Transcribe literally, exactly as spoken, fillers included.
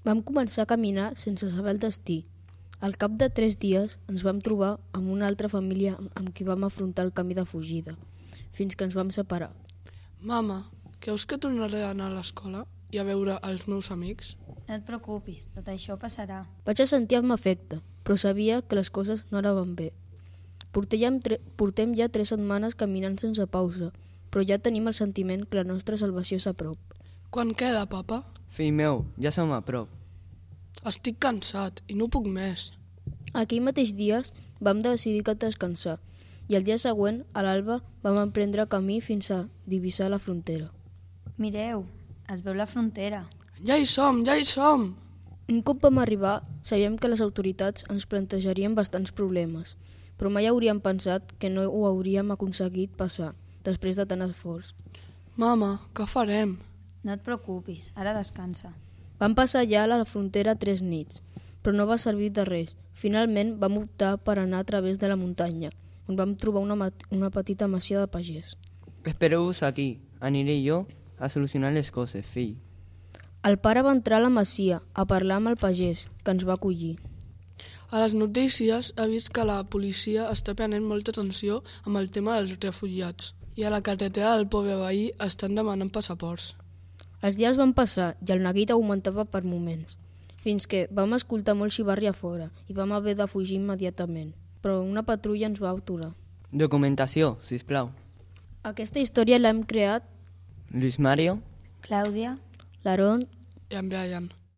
Vam començar a caminar sense saber el destí. Al cap de tres dies ens vam trobar amb una altra família amb qui vam afrontar el camí de fugida, fins que ens vam separar. Mama, creus que tornaré a anar a l'escola i a veure els meus amics? No et preocupis, tot això passarà. Vaig a sentir amb afecte, però sabia que les coses no anaven bé. Portem, tre- portem ja tres setmanes caminant sense pausa, però ja tenim el sentiment que la nostra salvació és a prop. Quan queda, papa? Fill meu, ja som a prop. Estic cansat i no puc més. Aquell mateix dies vam decidir que descansar i el dia següent, a l'alba, vam emprendre camí fins a divisar la frontera. Mireu, es veu la frontera. Ja hi som, ja hi som! Un cop vam arribar, sabíem que les autoritats ens plantejarien bastants problemes, però mai hauríem pensat que no ho hauríem aconseguit passar, després de tant esforç. Mama, què farem? No et preocupis, ara descansa. Vam passar ja a la frontera tres nits, però no va servir de res. Finalment vam optar per anar a través de la muntanya, on vam trobar una, una petita masia de pagès. Espereu-vos aquí. Aniré jo a solucionar les coses, fill. El pare va entrar a la masia a parlar amb el pagès, que ens va acollir. A les notícies he vist que la policia està prenent molta atenció amb el tema dels refugiats i a la carretera del poble veí estan demanant passaports. Els dies van passar i el neguit augmentava per moments, fins que vam escoltar molt xivarri a fora i vam haver de fugir immediatament, però una patrulla ens va aturar. Documentació, sisplau. Aquesta història l'hem creat Luis Mario. Clàudia, l'Aaron I en Brian.